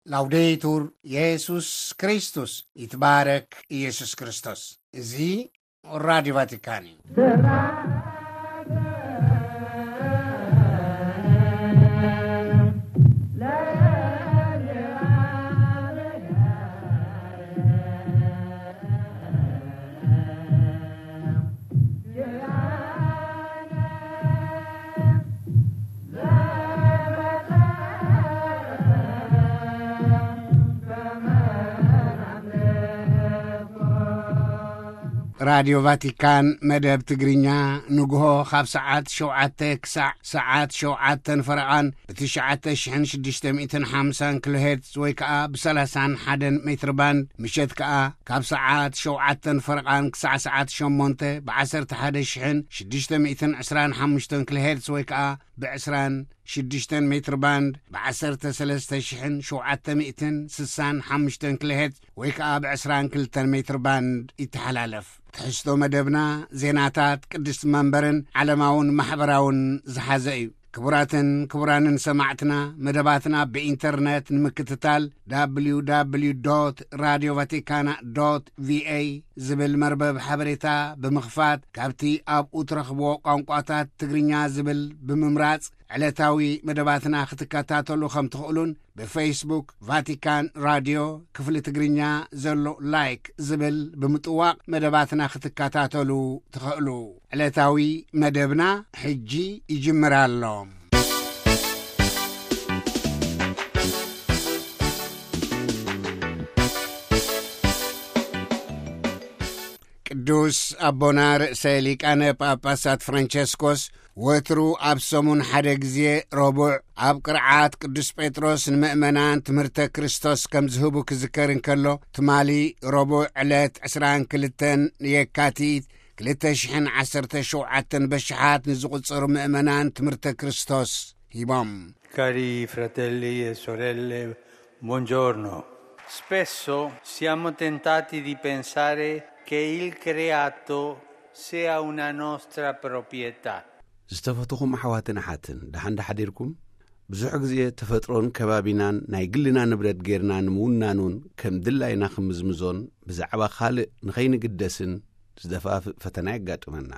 ላውዴቱር የሱስ ክርስቶስ፣ ይትባረክ ኢየሱስ ክርስቶስ። እዚ ራዲዮ ቫቲካን እዩ። ራዲዮ ቫቲካን መደብ ትግርኛ ንግሆ ካብ ሰዓት ሸውዓተ ክሳዕ ሰዓት ሸውዓተን ፈረቓን ብትሽዓተ ሽሕን ሽዱሽተ ሚእትን ሓምሳን ኪሎ ሄርትዝ ወይ ከኣ ብሰላሳን ሓደን ሜትር ባንድ፣ ምሸት ከኣ ካብ ሰዓት ሸውዓተን ፈረቓን ክሳዕ ሰዓት ሸሞንተ ብዓሰርተ ሓደ ሽሕን ሽዱሽተ ሚእትን ዕስራን ሓሙሽተን ኪሎ ሄርትዝ ወይ ከኣ ብዕስራን ሽዱሽተን ሜትር ባንድ ብዓሰርተ ሰለስተ ሽሕን ሸውዓተ ሚእትን ስሳን ሓሙሽተን ኪሎ ሄርትዝ ወይ ከኣ ብዕስራን ክልተን ሜትር ባንድ ይተሓላለፍ። ትሕዝቶ መደብና ዜናታት ቅድስቲ መንበርን ዓለማውን ማሕበራውን ዝሓዘ እዩ። ክቡራትን ክቡራንን ሰማዕትና፣ መደባትና ብኢንተርነት ንምክትታል፣ www radio vaticana ቪኤ ዝብል መርበብ ሓበሬታ ብምኽፋት፣ ካብቲ ኣብኡ ትረኽብዎ ቋንቋታት ትግርኛ ዝብል ብምምራጽ፣ ዕለታዊ መደባትና ክትከታተሉ ከም ትኽእሉን፣ ብፌስቡክ ቫቲካን ራድዮ ክፍሊ ትግርኛ ዘሎ ላይክ ዝብል ብምጥዋቕ መደባትና ክትከታተሉ ትኽእሉ። ዕለታዊ መደብና ሕጂ ይጅምር ኣሎ። ቅዱስ ኣቦና ርእሰ ሊቃነ ጳጳሳት ፍራንቸስኮስ ወትሩ ኣብ ሰሙን ሓደ ግዜ ረቡዕ ኣብ ቅርዓት ቅዱስ ጴጥሮስ ንምእመናን ትምህርተ ክርስቶስ ከም ዝህቡ ክዝከር እንከሎ፣ ትማሊ ረቡዕ ዕለት ዕስራን ክልተን የካቲት ክልተ ሽሕን ዓሰርተ ሸውዓተን በሽሓት ንዝቑጸሩ ምእመናን ትምህርተ ክርስቶስ ሂቦም። Cari fratelli e sorelle, buongiorno. Spesso siamo tentati di pensare che il creato sia una nostra proprietà. ዝተፈትኹም ኣሕዋትን ኣሓትን፣ ደሓን ዶ ሓዲርኩም? ብዙሕ ግዜ ተፈጥሮን ከባቢናን ናይ ግልና ንብረት ጌርና ንምውናኑን ከም ድላይና ክምዝምዞን ብዛዕባ ካልእ ንኸይንግደስን ዝደፋፍእ ፈተና የጋጥመና።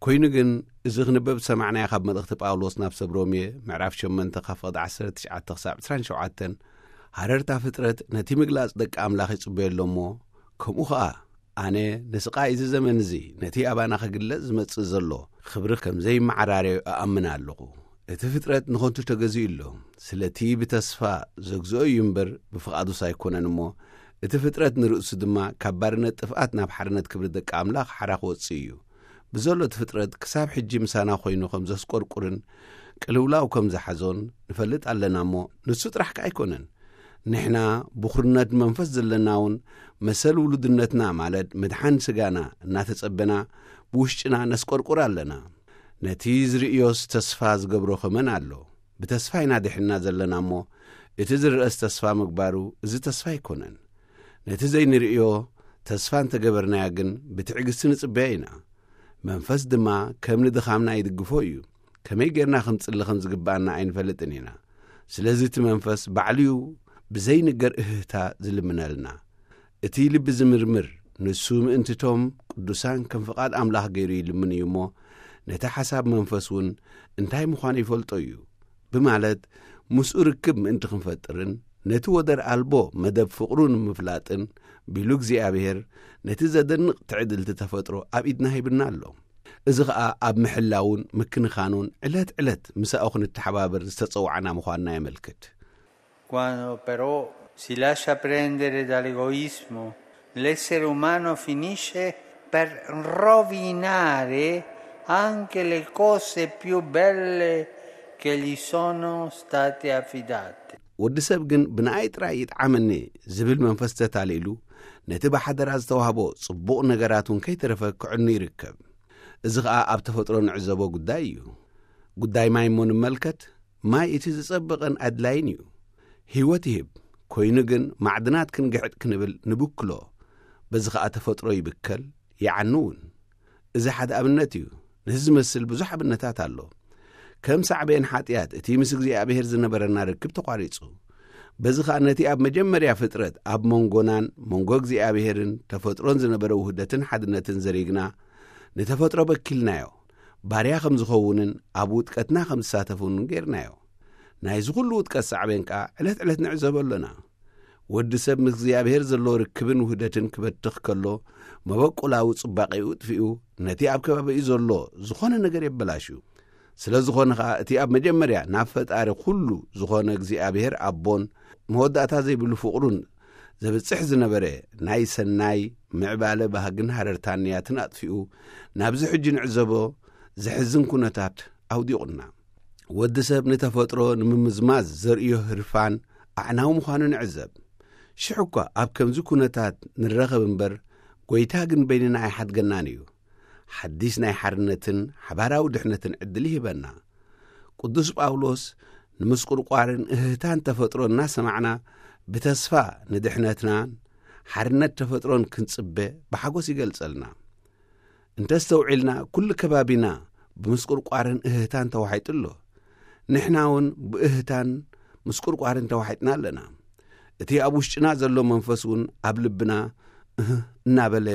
ኮይኑ ግን፣ እዚ ክንበብ ዝሰማዕናዮ ካብ መልእኽቲ ጳውሎስ ናብ ሰብ ሮሜ ምዕራፍ ሸሞንተ ካብ ፍቕዲ ዓሰርተ ትሽዓተ ክሳብ ዕስራን ሸውዓተን፣ ሃረርታ ፍጥረት ነቲ ምግላጽ ደቂ ኣምላኽ ይጽበዮ ኣሎ እሞ፣ ከምኡ ኸኣ ኣነ ንስቓይ እዚ ዘመን እዚ ነቲ ኣባና ክግለጽ ዝመጽእ ዘሎ ክብሪ ከም ዘይመዓራረዮ እኣምን ኣለኹ። እቲ ፍጥረት ንኸንቱ ተገዚኡ ኣሎ። ስለቲ ብተስፋ ዘግዝኦ እዩ እምበር ብፍቓዱስ ኣይኮነን እሞ፣ እቲ ፍጥረት ንርእሱ ድማ ካብ ባርነት ጥፍኣት ናብ ሓርነት ክብሪ ደቂ ኣምላኽ ሓራ ክወጽእ እዩ። ብዘሎ እቲ ፍጥረት ክሳብ ሕጂ ምሳና ኮይኑ ከም ዘስቆርቁርን ቅልውላው ከም ዝሓዞን ንፈልጥ ኣለና እሞ፣ ንሱ ጥራሕ ከኣ ኣይኮነን። ንሕና ብኹርነት መንፈስ ዘለና እውን መሰል ውሉድነትና፣ ማለት ምድሓን ስጋና እናተጸበና፣ ብውሽጥና ነስቆርቁር ኣለና። ነቲ ዝርእዮስ ተስፋ ዝገብሮ ከመን ኣሎ? ብተስፋ ኢና ድሒንና ዘለና እሞ፣ እቲ ዝርአስ ተስፋ ምግባሩ እዚ ተስፋ ኣይኮነን። ነቲ ዘይንርእዮ ተስፋ እንተገበርናዮ ግን ብትዕግስቲ ንጽበዮ ኢና። መንፈስ ድማ ከም ንድኻምና ይድግፎ እዩ። ከመይ ጌርና ክንጽሊ ከም ዝግብኣና ኣይንፈልጥን ኢና። ስለዚ እቲ መንፈስ ባዕሉ እዩ ብዘይንገር እህህታ ዝልምነልና። እቲ ልቢ ዝምርምር፣ ንሱ ምእንትቶም ቅዱሳን ከም ፍቓድ ኣምላኽ ገይሩ ይልምን እዩ እሞ፣ ነቲ ሓሳብ መንፈስ እውን እንታይ ምዃኑ ይፈልጦ እዩ ብማለት፣ ምስኡ ርክብ ምእንቲ ክንፈጥርን ነቲ ወደር ኣልቦ መደብ ፍቕሩ ንምፍላጥን ቢሉ እግዚኣብሔር ነቲ ዘደንቕ ትዕድልቲ ተፈጥሮ ኣብ ኢድና ሂብና ኣሎ። እዚ ኸኣ ኣብ ምሕላውን ምክንኻኑን ዕለት ዕለት ምሳኡ ክንተሓባበር ዝተጸዋዕና ምዃንና የመልክት። Quando però si lascia prendere dall'egoismo, l'essere umano finisce per rovinare anche le cose più belle che gli sono state affidate. ወዲ ሰብ ግን ብንኣይ ጥራይ ይጥዓመኒ ዝብል መንፈስ ተታሊሉ፣ ነቲ ብሓደራ ዝተዋህቦ ጽቡቕ ነገራት እውን ከይተረፈ ክዕኑ ይርከብ። እዚ ኸኣ ኣብ ተፈጥሮ ንዕዘቦ ጉዳይ እዩ። ጉዳይ ማይ እሞ ንመልከት። ማይ እቲ ዝጸበቐን ኣድላይን እዩ። ህይወት ይህብ። ኮይኑ ግን ማዕድናት ክንግሕጥ ክንብል ንብክሎ። በዚ ኸኣ ተፈጥሮ ይብከል፣ ይዓኑ እውን። እዚ ሓደ ኣብነት እዩ። ነዚ ዝመስል ብዙሕ ኣብነታት ኣሎ። ከም ሳዕቤን ሓጢኣት እቲ ምስ እግዚኣብሔር ዝነበረና ርክብ ተቋሪጹ። በዚ ኸኣ ነቲ ኣብ መጀመርያ ፍጥረት ኣብ መንጎናን መንጎ እግዚኣብሔርን ተፈጥሮን ዝነበረ ውህደትን ሓድነትን ዘሪግና፣ ንተፈጥሮ በኪልናዮ፣ ባርያ ከም ዝኸውንን ኣብ ውጥቀትና ከም ዝሳተፍን ጌርናዮ። ናይዚ ኹሉ ውጥቀት ሳዕቤን ከኣ ዕለት ዕለት ንዕዘቦ ኣሎና። ወዲ ሰብ ምስ እግዚኣብሔር ዘሎ ርክብን ውህደትን ክበትኽ ከሎ፣ መበቆላዊ ጽባቄኡ ጥፊኡ፣ ነቲ ኣብ ከባቢኡ ዘሎ ዝኾነ ነገር የበላሽዩ። ስለ ዝኾነ ኸኣ፣ እቲ ኣብ መጀመርያ ናብ ፈጣሪ ኩሉ ዝኾነ እግዚኣብሔር ኣቦን መወዳእታ ዘይብሉ ፍቕሩን ዘብጽሕ ዝነበረ ናይ ሰናይ ምዕባለ ባህግን ሃረርታን ንያትን ኣጥፊኡ፣ ናብዚ ሕጂ ንዕዘቦ ዘሕዝን ኩነታት ኣውዲቑና። ወዲ ሰብ ንተፈጥሮ ንምምዝማዝ ዘርእዮ ህርፋን ኣዕናዊ ምዃኑ ንዕዘብ። ሽሕ እኳ ኣብ ከምዚ ኩነታት ንረኸብ እምበር፣ ጐይታ ግን በይንና ኣይሓድገናን እዩ። ሓዲስ ናይ ሓርነትን ሓባራዊ ድሕነትን ዕድል ይህበና። ቅዱስ ጳውሎስ፣ ንምስቁርቋርን እህህታን ተፈጥሮ እናሰማዕና፣ ብተስፋ ንድሕነትናን ሓርነት ተፈጥሮን ክንጽበ ብሓጎስ ይገልጸልና። እንተስተውዒልና፣ ኩሉ ከባቢና ብምስቁርቋርን እህህታን ተዋሒጡ ኣሎ። ንሕና እውን ብእህህታን ምስቁርቋርን ተዋሒጥና ኣለና። እቲ ኣብ ውሽጥና ዘሎ መንፈስ እውን ኣብ ልብና እህ እናበለ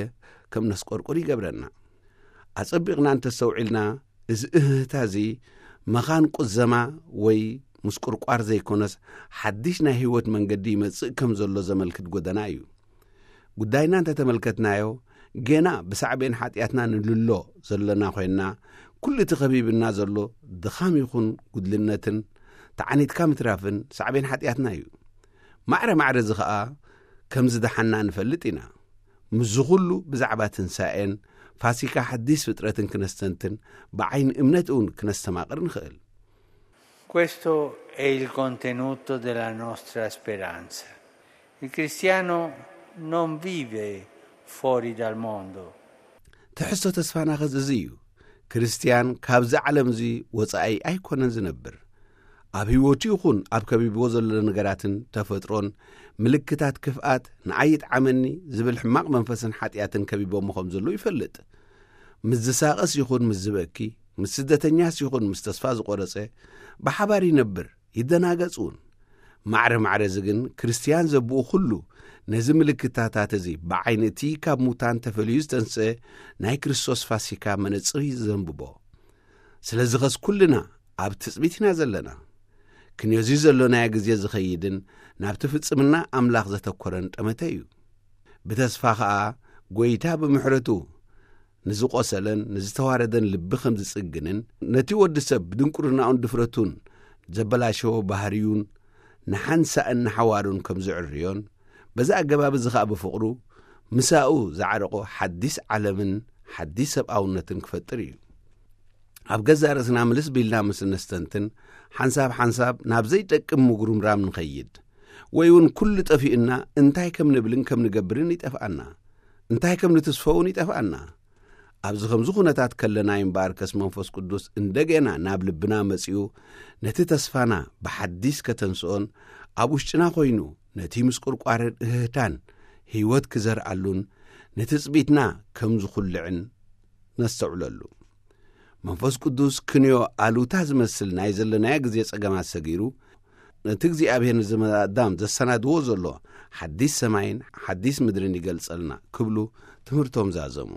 ከም ነስቆርቁር ይገብረና። ኣጸቢቕና እንተስተውዒልና፣ እዚ እህህታ እዚ መኻን ቁዘማ ወይ ምስቁርቋር ዘይኮነስ፣ ሓድሽ ናይ ህይወት መንገዲ ይመጽእ ከም ዘሎ ዘመልክት ጎደና እዩ። ጉዳይና እንተተመልከትናዮ፣ ገና ብሳዕቤን ሓጢኣትና ንልሎ ዘለና ኮይንና፣ ኩሉ እቲ ከቢብና ዘሎ ድኻም ይኹን ጉድልነትን ተዓኒትካ ምትራፍን ሳዕቤን ሓጢኣትና እዩ። ማዕረ ማዕረ እዚ ኸኣ ከም ዝደሓና ንፈልጥ ኢና። ምስዚ ኹሉ ብዛዕባ ትንሳኤን ፋሲካ ሓዲስ ፍጥረትን ክነስተንትን፣ ብዓይኒ እምነት እውን ክነስተማቕር ንኽእል። Questo è il contenuto della nostra speranza. Il cristiano non vive fuori dal mondo. ትሕዝቶ ተስፋና ኸዚ እዚ እዩ። ክርስትያን ካብዚ ዓለም እዚ ወጻኢ ኣይኮነን ዝነብር። ኣብ ህይወቱ ይኹን ኣብ ከቢብዎ ዘሎ ነገራትን ተፈጥሮን ምልክታት ክፍኣት ንኣይ ይጥዓመኒ ዝብል ሕማቕ መንፈስን ሓጢኣትን ከቢቦሞ ከም ዘለዉ ይፈልጥ። ምስ ዝሳቐስ ይኹን ምስ ዝበኪ፣ ምስ ስደተኛስ ይኹን ምስ ተስፋ ዝቖረጸ፣ ብሓባር ይነብር፣ ይደናገጽ እውን። ማዕረ ማዕረ እዚ ግን ክርስትያን ዘብኡ ኩሉ ነዚ ምልክታታት እዚ ብዓይኒ እቲ ካብ ሙታን ተፈልዩ ዝተንስአ ናይ ክርስቶስ ፋሲካ መነጽር እዩ ዘንብቦ። ስለዚ ኸስ ኩልና ኣብ ትጽቢት ኢና ዘለና። ክንዮዚ ዘሎናዮ ግዜ ዝኸይድን ናብቲ ፍጽምና ኣምላኽ ዘተኮረን ጠመተ እዩ። ብተስፋ ኸኣ ጐይታ ብምሕረቱ ንዝቖሰለን ንዝተዋረደን ልቢ ከም ዝጽግንን፣ ነቲ ወዲ ሰብ ብድንቁርናኡን ድፍረቱን ዘበላሸዎ ባህርዩን ንሓንሳእን ንሓዋሩን ከም ዝዕርዮን፣ በዚ ኣገባብ እዚ ኸኣ ብፍቕሩ ምሳኡ ዝዓረቖ ሓዲስ ዓለምን ሓዲስ ሰብኣውነትን ክፈጥር እዩ። ኣብ ገዛእ ርእስና ምልስ ቢልና ምስ እነስተንትን፣ ሓንሳብ ሓንሳብ ናብ ዘይጠቅም ምጉርምራም ንኸይድ፣ ወይ እውን ኩሉ ጠፊኡና እንታይ ከም ንብልን ከም ንገብርን ይጠፍኣና። እንታይ ከም ንትስፎ እውን ይጠፍኣና። ኣብዚ ከምዚ ኩነታት ከለና እምበኣርከስ መንፈስ ቅዱስ እንደገና ናብ ልብና መጺኡ ነቲ ተስፋና ብሓዲስ ከተንስኦን ኣብ ውሽጥና ኮይኑ ነቲ ምስቁርቋርን እህህታን ህይወት ክዘርኣሉን ንትጽቢትና ከም ዝኹልዕን ነስተውዕለሉ። መንፈስ ቅዱስ ክንዮ ኣሉታ ዝመስል ናይ ዘለናዮ ግዜ ጸገማት ሰጊሩ፣ ነቲ እግዚኣብሔር ንዘመድ ኣዳም ዘሰናድዎ ዘሎ ሓዲስ ሰማይን ሓዲስ ምድርን ይገልጸልና ክብሉ ትምህርቶም ዛዘሙ።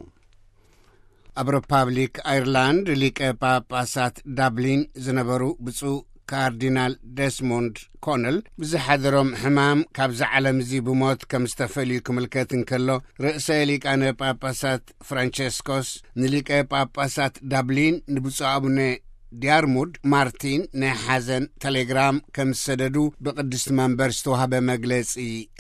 ኣብ ሪፓብሊክ ኣይርላንድ ሊቀ ጳጳሳት ዳብሊን ዝነበሩ ብፁዕ ካርዲናል ደስሞንድ ኮነል ብዝሓደሮም ሕማም ካብዚ ዓለም እዚ ብሞት ከም ዝተፈልዩ ክምልከት እንከሎ፣ ርእሰ ሊቃነ ጳጳሳት ፍራንቸስኮስ ንሊቀ ጳጳሳት ዳብሊን ንብፁዕ ኣቡነ ዲያርሙድ ማርቲን ናይ ሓዘን ቴሌግራም ከም ዝሰደዱ ብቅድስቲ መንበር ዝተዋህበ መግለጺ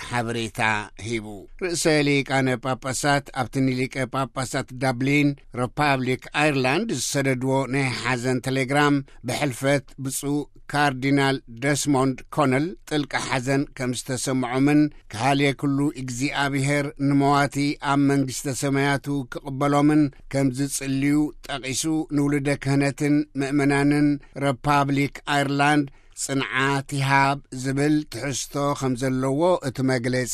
ሓበሬታ ሂቡ። ርእሰ ሊቃነ ጳጳሳት ኣብቲ ንሊቀ ጳጳሳት ዳብሊን ሪፓብሊክ ኣይርላንድ ዝሰደድዎ ናይ ሓዘን ቴሌግራም፣ ብሕልፈት ብፁዕ ካርዲናል ደስሞንድ ኮነል ጥልቂ ሓዘን ከም ዝተሰምዖምን፣ ክሃልየ ኩሉ እግዚኣብሔር ንመዋቲ ኣብ መንግስተ ሰማያቱ ክቕበሎምን ከም ዝጽልዩ ጠቒሱ፣ ንውሉደ ክህነትን ምእመናንን ሪፓብሊክ ኣይርላንድ ጽንዓት ይሃብ ዝብል ትሕዝቶ ከም ዘለዎ እቲ መግለጺ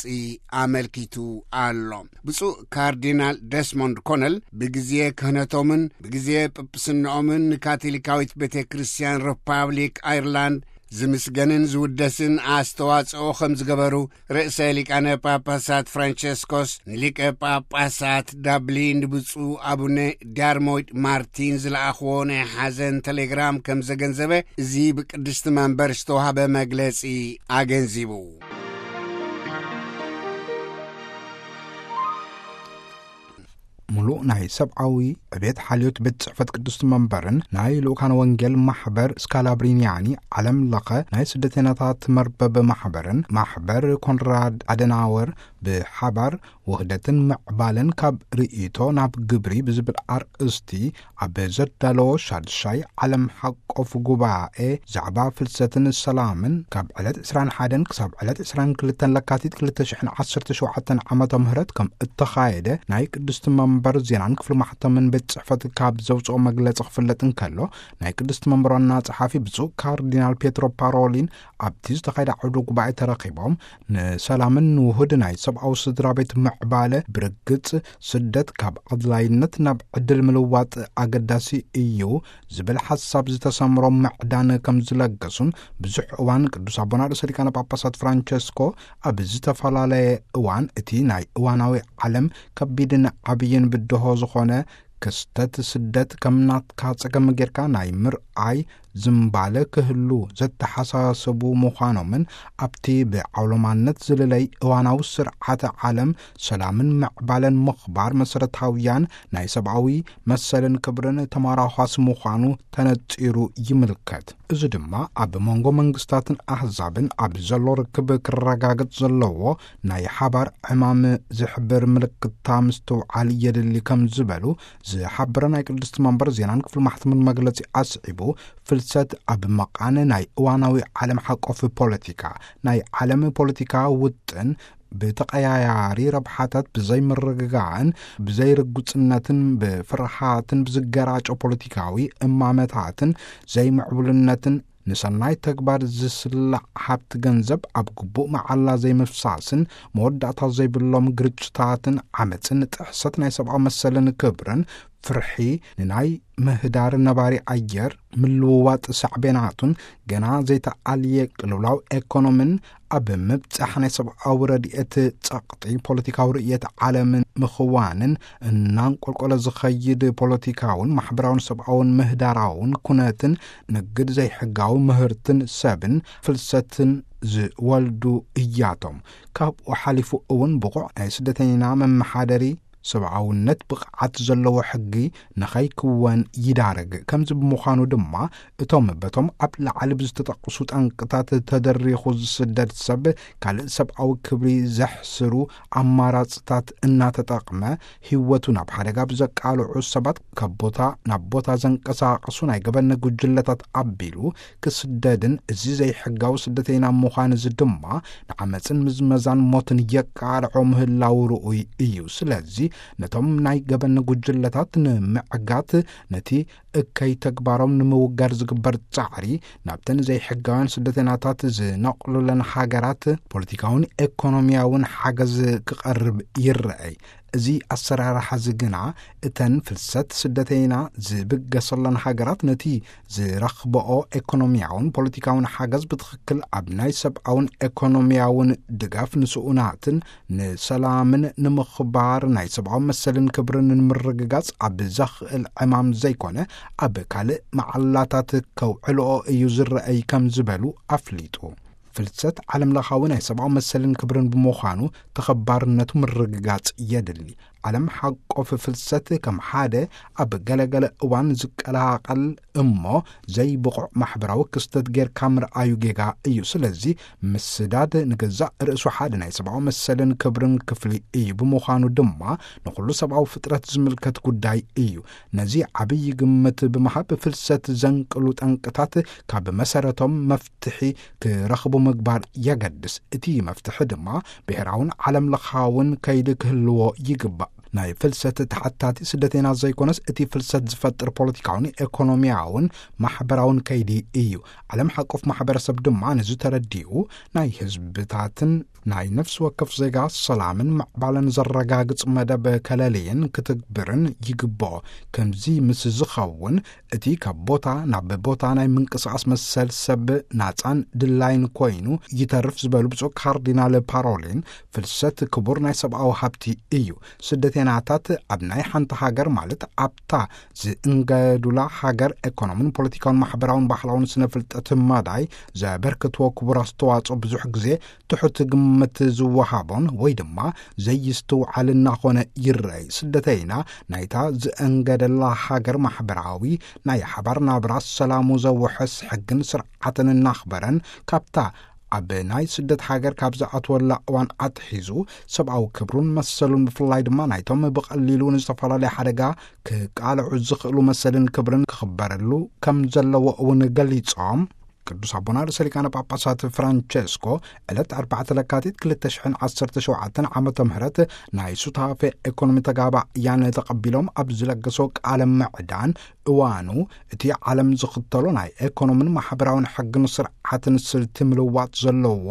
ኣመልኪቱ ኣሎ። ብፁዕ ካርዲናል ደስሞንድ ኮነል ብግዜ ክህነቶምን ብግዜ ጵጵስናኦምን ንካቶሊካዊት ቤተ ክርስቲያን ሪፓብሊክ ኣይርላንድ ዝምስገንን ዝውደስን ኣስተዋጽኦ ከም ዝገበሩ፣ ርእሰ ሊቃነ ጳጳሳት ፍራንቸስኮስ ንሊቀ ጳጳሳት ዳብሊን ብፁዕ ኣቡነ ዳርሞይድ ማርቲን ዝለኣኽዎ ናይ ሓዘን ቴሌግራም ከም ዘገንዘበ፣ እዚ ብቅድስቲ መንበር ዝተዋህበ መግለጺ ኣገንዚቡ። ሙሉእ ናይ ሰብኣዊ ዕቤት ሓልዮት ቤት ጽሕፈት ቅድስቲ መንበርን ናይ ልኡካን ወንጌል ማሕበር ስካላብሪኒያኒ ዓለም ለኸ ናይ ስደተኛታት መርበብ ማሕበርን ማሕበር ኮንራድ ኣደናወር ብሓባር ውህደትን ምዕባለን ካብ ርእይቶ ናብ ግብሪ ብዝብል ኣርእስቲ ኣብ ዘዳለዎ ሻድሻይ ዓለም ሓቆፍ ጉባኤ ዛዕባ ፍልሰትን ሰላምን ካብ ዕለት ዕስራን ሓደን ክሳብ ዕለት ዕስራን ክልተን ለካቲት ክልተ ሽሕን ዓሰርተ ሸውዓተን ዓመተ ምህረት ከም እተኻየደ ናይ ቅድስቲ መንበር ዜናን ክፍሊ ማሕተምን ቤት ጽሕፈት ካብ ዘውፅኦ መግለጺ ክፍለጥ እንከሎ፣ ናይ ቅድስቲ መንበር ዋና ጸሓፊ ብፁዕ ካርዲናል ፔትሮ ፓሮሊን ኣብቲ ዝተኻየደ ዓውደ ጉባኤ ተረኺቦም፣ ንሰላምን ንውሁድ ናይ ሰብኣዊ ስድራ ቤት ምዕባለ ብርግጽ ስደት ካብ ኣድላይነት ናብ ዕድል ምልዋጥ ኣገዳሲ እዩ ዝብል ሓሳብ ዝተሰምሮ ምዕዳን ከም ዝለገሱን፣ ብዙሕ እዋን ቅዱስ ኣቦና ርእሰ ሊቃነ ጳጳሳት ፍራንቸስኮ ኣብ ዝተፈላለየ እዋን እቲ ናይ እዋናዊ ዓለም ከቢድን ዓብይን ብድሆ ዝኾነ ክስተት ስደት ከም ናትካ ጸገም ጌርካ ናይ ምርኣይ ዝምባለ ክህሉ ዘተሓሳሰቡ ምዃኖምን፣ ኣብቲ ብዓውሎማነት ዝልለይ እዋናዊ ስርዓተ ዓለም ሰላምን ምዕባለን ምኽባር መሰረታውያን ናይ ሰብኣዊ መሰልን ክብርን ተመራዃስ ምዃኑ ተነጺሩ ይምልከት። እዚ ድማ ኣብ መንጎ መንግስታትን ኣህዛብን ኣብ ዘሎ ርክብ ክረጋገጽ ዘለዎ ናይ ሓባር ዕማም ዝሕብር ምልክታ ምስትውዓል የድሊ ከም ዝበሉ ዝሓበረ ናይ ቅድስቲ መንበር ዜናን ክፍሊ ማሕተምን መግለጺ ኣስዒቡ፣ ፍልሰት ኣብ መቓን ናይ እዋናዊ ዓለም ሓቆፍ ፖለቲካ፣ ናይ ዓለም ፖለቲካ ውጥን ብተቐያያሪ ረብሓታት፣ ብዘይምርግጋእን ብዘይርጉጽነትን ብፍርሃትን ብዝገራጮ ፖለቲካዊ እማመታትን ዘይምዕቡልነትን ንሰናይ ተግባር ዝስላዕ ሃብቲ ገንዘብ ኣብ ግቡእ መዓላ ዘይምፍሳስን መወዳእታ ዘይብሎም ግርጭታትን ዓመጽን ጥሕሰት ናይ ሰብኣዊ መሰልን ክብርን ፍርሒ ንናይ ምህዳር ነባሪ ኣየር ምልውዋጥ ሳዕቤናቱን ገና ዘይተኣልየ ቅልውላው ኤኮኖምን ኣብ ምብጻሕ ናይ ሰብኣዊ ረድኤት ጸቕጢ ፖለቲካዊ ርእየት ዓለምን ምኽዋንን እናንቆልቆለ ዝኸይድ ፖለቲካውን ማሕበራውን ሰብኣውን ምህዳራውን ኩነትን ንግድ ዘይሕጋዊ ምህርትን ሰብን ፍልሰትን ዝወልዱ እያቶም። ካብኡ ሓሊፉ እውን ብቑዕ ናይ ስደተኛ መመሓደሪ ሰብኣውነት ብቕዓት ዘለዎ ሕጊ ንኸይክወን ይዳረግ። ከምዚ ብምዃኑ ድማ እቶም በቶም ኣብ ላዕሊ ብዝተጠቕሱ ጠንቅታት ተደሪኹ ዝስደድ ሰብ ካልእ ሰብኣዊ ክብሪ ዘሕስሩ ኣማራጽታት እናተጠቕመ ህይወቱ ናብ ሓደጋ ብዘቃልዑ ሰባት ካብ ቦታ ናብ ቦታ ዘንቀሳቐሱ ናይ ገበን ጉጅለታት ኣቢሉ ክስደድን እዚ ዘይሕጋዊ ስደተይና ምዃን እዚ ድማ ንዓመጽን ምዝመዛን ሞትን የቃልዖ ምህላው ርኡይ እዩ። ስለዚ ነቶም ናይ ገበን ጉጅለታት ንምዕጋት ነቲ እከይ ተግባሮም ንምውጋድ ዝግበር ጻዕሪ ናብተን ዘይሕጋውያን ስደተይናታት ዝነቕሉለን ሃገራት ፖለቲካውን ኤኮኖሚያውን ሓገዝ ክቐርብ ይረኣይ። እዚ ኣሰራርሓ እዚ ግና እተን ፍልሰት ስደተይና ዝብገሰለን ሃገራት ነቲ ዝረኽበኦ ኤኮኖሚያውን ፖለቲካውን ሓገዝ ብትኽክል ኣብ ናይ ሰብኣውን ኤኮኖሚያውን ድጋፍ ንስኡናትን ንሰላምን ንምኽባር ናይ ሰብኣዊ መሰልን ክብርን ንምርግጋጽ ኣብ ዘኽእል ዕማም ዘይኮነ ኣብ ካልእ መዓላታት ከውዕልኦ እዩ ዝረኣይ ከም ዝበሉ ኣፍሊጡ። ፍልሰት ዓለም ለኻዊ ናይ ሰብኣዊ መሰልን ክብርን ብምዃኑ ተኸባርነቱ ምርግጋጽ የድሊ። ዓለም ሓቆፍ ፍልሰት ከም ሓደ ኣብ ገለገለ እዋን ዝቀላቐል እሞ ዘይብቑዕ ማሕበራዊ ክስተት ጌርካ ምርኣዩ ጌጋ እዩ። ስለዚ ምስዳድ ንገዛእ ርእሱ ሓደ ናይ ሰብኣዊ መሰልን ክብርን ክፍሊ እዩ። ብምዃኑ ድማ ንኹሉ ሰብኣዊ ፍጥረት ዝምልከት ጉዳይ እዩ። ነዚ ዓብዪ ግምት ብምሃብ ፍልሰት ዘንቅሉ ጠንቅታት ካብ መሰረቶም መፍትሒ ክረኽቡ ምግባር የገድስ። እቲ መፍትሒ ድማ ብሔራውን ዓለም ለኻውን ከይዲ ክህልዎ ይግባእ። ናይ ፍልሰት ተሓታቲ ስደተይና ዘይኮነስ እቲ ፍልሰት ዝፈጥር ፖለቲካውን ኤኮኖሚያውን ማሕበራውን ከይዲ እዩ። ዓለም ሓቆፍ ማሕበረሰብ ድማ ነዚ ተረዲኡ ናይ ህዝብታትን ናይ ነፍሲ ወከፍ ዜጋ ሰላምን ምዕባለን ዘረጋግጽ መደብ ከለልይን ክትግብርን ይግብኦ። ከምዚ ምስ ዝኸውን፣ እቲ ካብ ቦታ ናብ ቦታ ናይ ምንቅስቓስ መሰል ሰብ ናጻን ድላይን ኮይኑ ይተርፍ ዝበሉ ብፁዕ ካርዲናል ፓሮሊን፣ ፍልሰት ክቡር ናይ ሰብኣዊ ሃብቲ እዩ። ስደተይናታት ኣብ ናይ ሓንቲ ሃገር፣ ማለት ኣብታ ዝእንገዱላ ሃገር፣ ኤኮኖምን ፖለቲካውን ማሕበራውን ባህላውን ስነ ፍልጠት መዳይ ዘበርክትዎ ክቡር ኣስተዋጽኦ ብዙሕ ግዜ ትሑት ግምት ዝወሃቦን ወይ ድማ ዘይስትውዓል እናኾነ ይረኣይ። ስደተይና ናይታ ዝእንገደላ ሃገር ማሕበራዊ ናይ ሓባር ናብራ ሰላሙ ዘውሕስ ሕግን ስርዓትን እናኽበረን ካብታ ኣብ ናይ ስደት ሃገር ካብ ዝኣትወላ እዋን ኣትሒዙ ሰብኣዊ ክብሩን መሰሉን፣ ብፍላይ ድማ ናይቶም ብቐሊሉ ንዝተፈላለየ ሓደጋ ክቃልዑ ዝኽእሉ መሰልን ክብርን ክኽበረሉ ከም ዘለዎ እውን ገሊጾም። ቅዱስ ኣቦና ርእሰ ሊቃነ ጳጳሳት ፍራንቸስኮ ዕለት ኣርባዕተ ለካቲት ክልተ ሽሕን ዓሰርተ ሸውዓተን ዓመተ ምህረት ናይ ሱታፌ ኤኮኖሚ ተጋባእያን ተቐቢሎም ኣብ ዝለገሶ ቃለ ምዕዳን፣ እዋኑ እቲ ዓለም ዝኽተሎ ናይ ኤኮኖምን ማሕበራውን ሕግን ስርዓትን ስልቲ ምልዋጥ ዘለዎ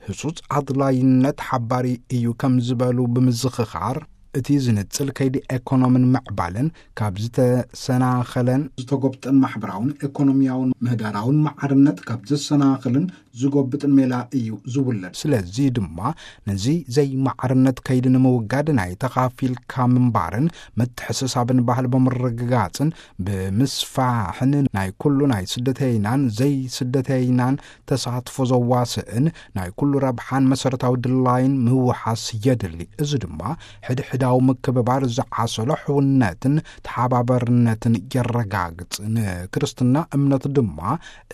ህጹጽ ኣድላይነት ሓባሪ እዩ ከም ዝበሉ ብምዝኽኻር፣ እቲ ዝንጽል ከይዲ ኤኮኖምን ምዕባለን ካብ ዝተሰናኸለን ዝተጎብጠን፣ ማሕበራውን ኤኮኖሚያውን ምህዳራውን ማዕርነት ካብ ዘሰናኽልን ዝጎብጥን ሜላ እዩ ዝውለድ። ስለዚ ድማ ነዚ ዘይማዕርነት ከይዲ ንምውጋድ ናይ ተኻፊልካ ምንባርን ምትሕስሳብን ባህል ብምርግጋጽን ብምስፋሕን፣ ናይ ኩሉ ናይ ስደተይናን ዘይስደተይናን ተሳትፎ ዘዋስእን ናይ ኩሉ ረብሓን መሰረታዊ ድላይን ምውሓስ የድሊ። እዚ ድማ ሕድሕዳዊ ምክብባር ዝዓሰሎ ሕውነትን ተሓባበርነትን የረጋግጽ። ንክርስትና እምነት ድማ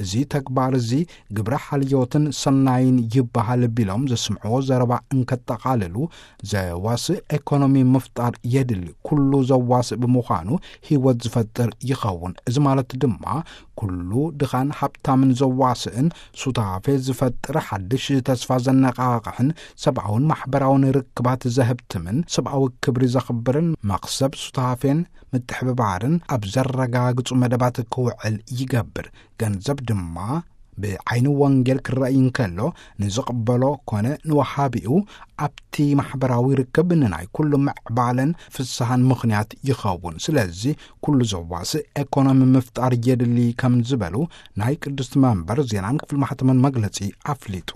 እዚ ተግባር እዚ ግብረ ሓልዮትን ሰናይን ይበሃል ቢሎም ዘስምዕዎ ዘረባ እንከጠቓልሉ፣ ዘዋስእ ኤኮኖሚ ምፍጣር የድሊ። ኩሉ ዘዋስእ ብምዃኑ ህይወት ዝፈጥር ይኸውን። እዚ ማለት ድማ ኩሉ ድኻን ሃብታምን ዘዋስእን፣ ሱታፌ ዝፈጥር፣ ሓድሽ ተስፋ ዘነቓቕሕን ሰብኣውን ማሕበራውን ርክባት ዘህብትምን፣ ሰብኣዊ ክብሪ ዘኽብርን፣ መኽሰብ ሱታፌን ምትሕብባርን ኣብ ዘረጋግጹ መደባት ክውዕል ይገብር። ገንዘብ ድማ ብዓይኒ ወንጌል ክረኣይ እንከሎ፣ ንዝቕበሎ ኮነ ንወሃቢኡ ኣብቲ ማሕበራዊ ርክብ ንናይ ኩሉ ምዕባለን ፍስሃን ምኽንያት ይኸውን። ስለዚ ኩሉ ዘዋስእ ኤኮኖሚ ምፍጣር የድሊ ከም ዝበሉ ናይ ቅድስቲ መንበር ዜናን ክፍሊ ማሕተምን መግለጺ ኣፍሊጡ።